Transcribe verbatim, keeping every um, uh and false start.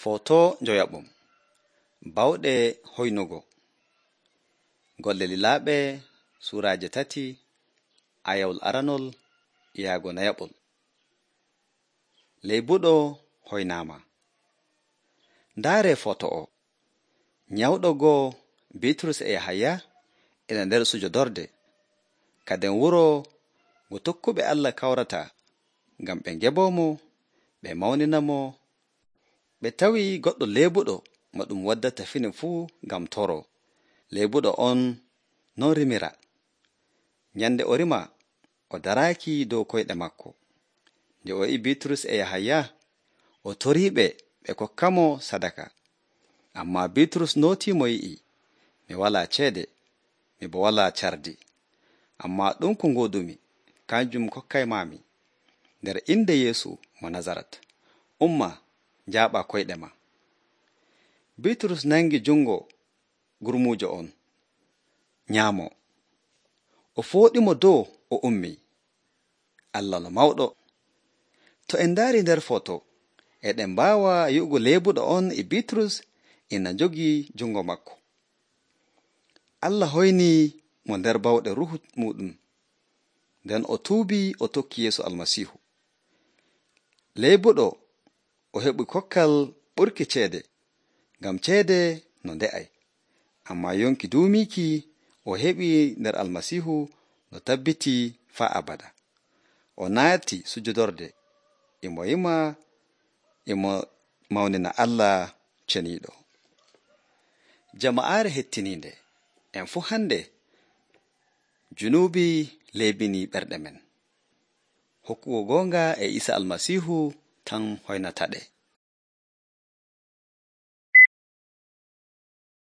Foto njoyaɓum bawɗe hoynugo golle lilaaɓe suuraaje tati ayawol aranol yaago nayaɓol. Leybuɗo hoynaama. Ndaare foto o nyawɗo goo Bitrus e Yahaya ina nder sujodorde kaden wuro ngo tokkuɓe Allah kawrata ngam ɓe ngeboomo ɓe mawnina mo. Ɓe tawi goɗɗo leebuɗo mo ɗum waddata fini fuu ngam toro. Leebuɗo on non rimira. Nyande o rima o daraaki dow koyɗe makko. Nde o yi'i Bitrus e Yahaya o toriiɓe ɓe kokkamo sadaka. Ammaa Bitrus nootii mo yi'i, mi walaa ceede, mi bo walaa cardi. Ammaa ɗum ko ngoodumi, kanjum kokkaymaami. Nder inde Yeesu mo Nazarat, umma njaaɓa koyɗe ma. Bitrus nangi jungo gurmuujo on nyaamo. O fooɗimo dow o ummi. Allah no mawɗo. To en ndaari nder foto, eɗen mbaawa yi'ugo leebuɗo on e Bitrus ina jogii jungo makko. Allah hoynii mo nder bawɗe ruhu muɗum, nden o tuubii o tokki Yeesu Almasiihu. Leebuɗo o heɓi kokkal ɓurki ceede, ngam ceede no nde'ay. Ammaa yonki duumiiki o heɓi nder Almasiihu no tabbitii faa abada. O naati sujudorde, imo yima, imo mawnina Allah ceniiɗo. Jama'aare hettiniinde, en fu hande junuubi leebini ɓerɗe men. Hokkugo goonga e Iisa Almasiihu tan hoynata ɗe.